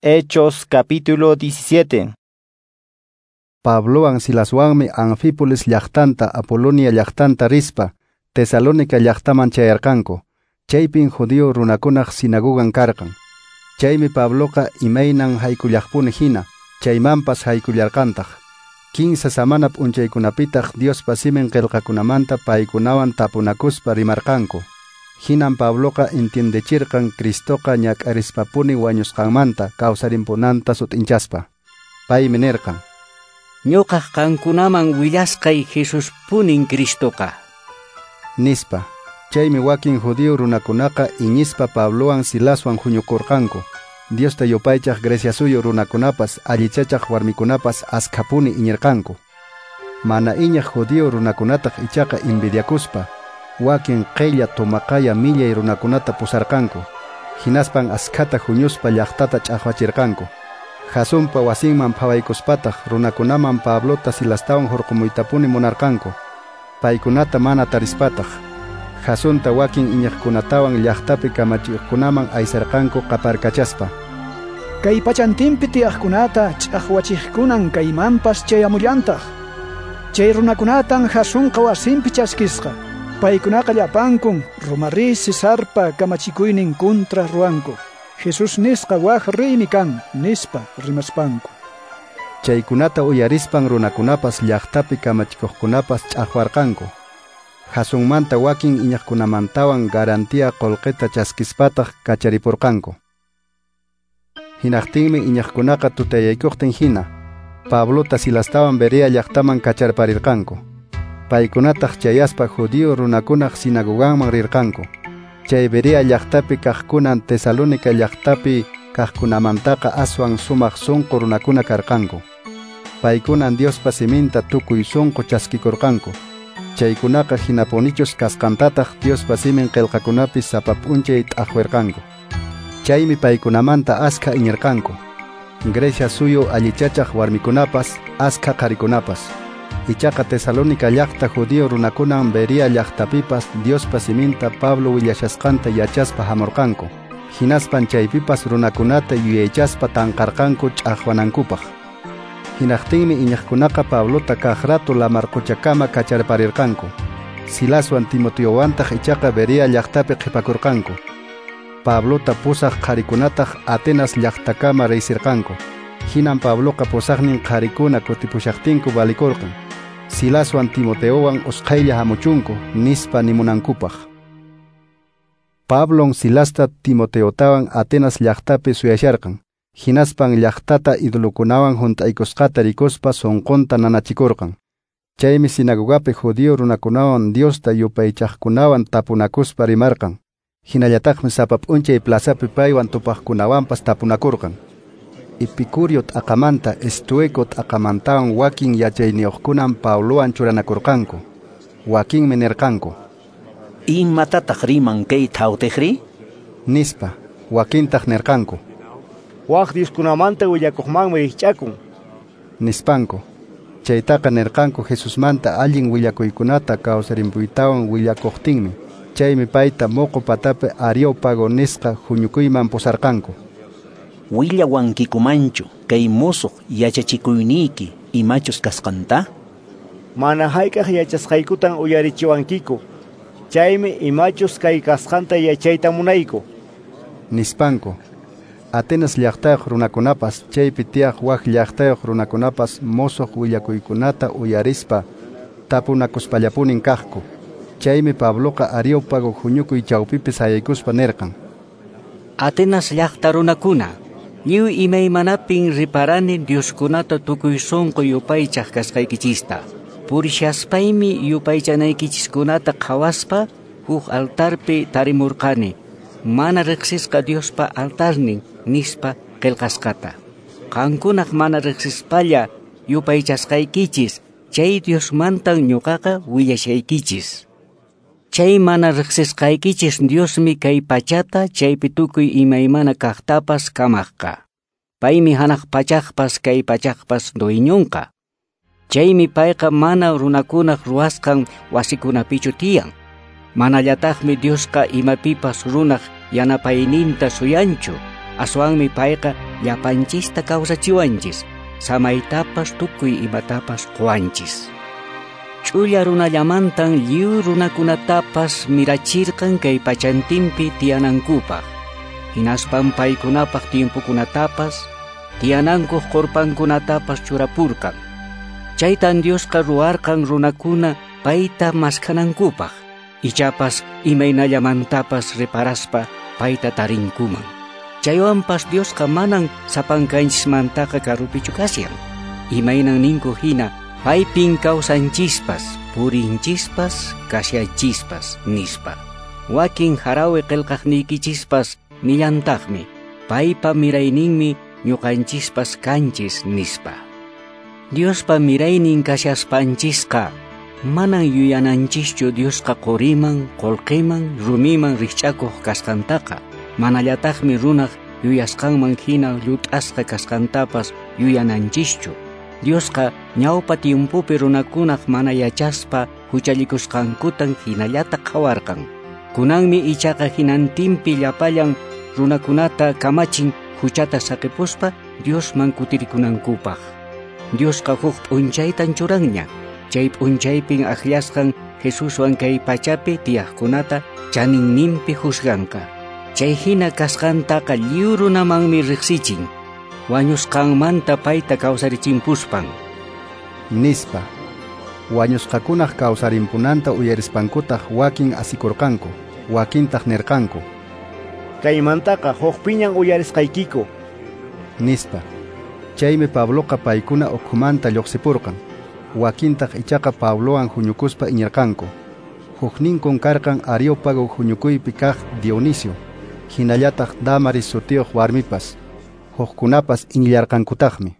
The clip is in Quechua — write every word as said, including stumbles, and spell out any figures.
Hechos capítulo diecisiete. Pablowan Silaswanmi Anfípolis llaqtanta Apolonia llaqtanta rispa Tesalónica llaqtaman chayarqanku. Chaypin judío runakunaq sinagogan karqan. Chaymi Pabloqa imaynan haykullaqpuni hina, chaymanpas haykullarqantaq. Kinsa samana p'unchaykunapitaq Diospa simin qillqakunamanta paykunawan tapunakuspa rimarqanku. Hinan Pabloqa entiendechirqan Cristoqa ñak'arispapuni wañusqanmanta kawsarimpunanta sut'inchaspa. Paymi nirqan: Ñuqaq qankunaman willasqay Jesuspunin Cristoqa, nispa. Chaymi wakin judío runakunaqa iñispa Pablowan Silaswan huñukurqanku. Diosta yupaychaq Grecia suyu runakunapas allichachaq warmikunapas askhapuni iñirqanku. Mana iñaq judío runakunataq ichaqa envidiakuspa wakin qella tomaqaya millay runakunata pusarqanku. Hinaspan askhata huñuspa llaqtata ch'aqwachirqanku. Jasonpa wasinman phawaykuspataq runakunaman Pablota Silastawan hurqumuytapuni munarqanku. Paykunata mana tarispataq Jasonta wakin iñiqkunatawan llaqtapi kamachiqkunaman aysarqanku qaparkachaspa: Kay pachantinpi tiyaqkunata ch'aqwachiqkunan kaymanpas chayamullantaq. Chay runakunatan Jasonqa wasinpi chaskisqa. Paykunaqa llapankun Roma rey Cesarpa kamachikuynin kontra ruwanku. Jesús nisqa waj reymi kan, nispa rimaspanku. Chaykunata uyarispan runakunapas llaqtapi kamachikuqkunapas ch'aqwarqanku. Jasonmanta wakin iñiqkunamantawan garantía qullqita chaskispataq kacharipurqanku. Hinaqtinmi iñiqkunaqa tutayaykuqtin hina Pablota Silastawan Berea llaqtaman kacharparirqanku. Paykunataq chayaspa judío runakunaq sinagoganman rirqanku. Chay Berea llaqtapi kaqkunan Tesalónica llaqtapi kaqkunamantaqa aswan sumaq sunqu runakuna karqanku. Paykunan Diospa siminta tukuy sunqu chaskikurqanku. Chaykunaqa hinapunichus kasqantataq Diospa simin qillqakunapi sapa p'unchay t'aqwirqanku. Chaymi paykunamanta askha iñirqanku. Grecia suyu allichachaq warmikunapas askha qharikunapas. Ichaqa Tesalónica llaqta judío runakunan Berea llaqtapipas Diospa siminta Pablo willashasqanta yachaspa hamurqanku. Hinaspan chaypipas runakunata yuyaychaspa tanqarqanku ch'aqwanankupaq. Hinaqtinmi iñiqkunaqa Pablota kaq rato lamarquchakama kacharparirqanku. Silaswan Timoteowantaq ichaqa Berea llaqtapi qhipakurqanku. Pablota pusaq qharikunataq Atenas llaqtakama riysirqanku. Hinan Pabloqa pusaqnin qharikuna kutipushaqtinku valikurqan. Silaswan Timoteowan usqhaylla hamuchunku nispa nimunankupaq. Pablon Silasta Timoteotawan Atenas llaqtapi suyasharqan. Hinaspan llaqtata idolokunawan hunt'aykusqata rikuspa sunqunta nanachikurqan. Chaymi sinagogapi judío runakunawan Diosta yupaychaqkunawan tapunakuspa rimarqan. Hinallataqmi sapa p'unchay plazapi paywan tupaqkunawanpas tapunakurqan. Epicurio t'aqamanta Estoico t'aqamantawan wakin yachayniyuqkunan Pablowan churanakurqanku. Wakinmi nirqanku: Imatataq riman kay thawtiqri? Nispa. Wakintaq nirqanku: Waj dioskunamanta willakuqmanmi rikch'akun, nispanku. Chaytaqa nirqanku Jesusmanta allin willakuykunata kawsarimpuytawan willakuqtinmi. Chaymi payta moqo patapi Areópago nisqa huñukuyman pusarqanku. Willawankikumanchu kay musuq yachachikuyniyki imachus kasqanta? Mana hayk'aq yachasqaykutan uyarichiwankiku. Chaymi imachus kay kasqanta yachayta munayku, nispanku. Atenas llaqtayuq runakunapas chaypi tiyaq wak llaqtayuq runakunapas musuq willakuykunata uyarispa tapunakuspallapunin kaqku. Chaymi Pabloqa Areópago huñukuy chawpipi sayaykuspa nirqan: Atenas llaqta runakuna, lliw imaymanapin riparani Dioskunata tukuy sunqu yupaychaq kasqaykichista. Purishaspaymi yupaychanaykichiskunata qhawaspa huk altarpi tarimurqani mana riqsisqa Diospa altarnin nispa qillqasqata. Qankunaq mana riqsispalla yupaychasqaykichis chay Diosmantan ñuqaqa willashaykichis. Chay mana riqsisqaykichis Diosmi kay pachata chaypi tukuy imaymana kaqtapas kamaqqa. Paymi hanaq pachaqpas kay pachaqpas dueñonqa. Chaymi payqa mana runakunaq ruwasqan wasikunapichu tiyan. Manallataqmi Diosqa imapipas runaq yanapayninta suyanchu. Aswanmi payqa llapanchista kawsachiwanchis, samaytapas tukuy imatapas quwanchis. Ch'ulla runallamantan lliw runakunatapas mirachirqan kay pachantinpi tiyanankupaq. Hinaspan paykunapaq tiempokunatapas, tiyanankuq qurpankunatapas churapurqan. Chaytan Diosqa ruwarqan runakuna payta maskhanankupaq, ichapas imaynallamantapas reparaspa payta tarinkuman. Chaywanpas Diosqa manan sapankanchismantaqa karupichu kashan. Imaynan ninku hina paypin kawsanchispas, purinchispas, kashanchispas, nispa. Wakin harawi qillqaqniykichispas nillantaqmi, paypa mirayninmi ñuqanchispas kanchis, nispa. Diospa miraynin kashaspanchisqa manan yuyananchischu Diosqa quriman, qullqiman, rumiman rikch'akuq kasqantaqa. Manallataqmi runaq yuyasqanman hina llut'asqa kasqantapas yuyananchischu. Diosqa ñawpa tiempopi runakunaq mana yachaspa huchallikusqankutan hinallata qhawarqan. Kunanmi ichaqa hinantinpi llapallan runakunata kamachin huchata saqipuspa Diosman kutirikunankupaq. Diosqa huk p'unchaytan churanña. Chay p'unchaypin akllasqan Jesuswan kay pachapi tiyaqkunata chaninninpi juzganqa. Chay hina kasqantaqa lliw runamanmi riqsichin. Wañusqanmanta payta kawsarichimpuspan. Nispa. Wañusqakunaq kawsarimpunanta uyarispankutaq wakin asikurqanku, wakintaq nirqanku: Kaymantaqa hukpiñan uyarisqaykiku, nispa. Chaymi Pabloqa paykuna ukhumanta lluqsipurqan. Wakintaq ichaqa Pablowan huñukuspa iñirqanku. Hukninkun karqan Areópago huñukuypi kaq Dionisio, hinallataq Damaris sutiyuq warmipas. Hukkunapas iñillarqankutaqmi.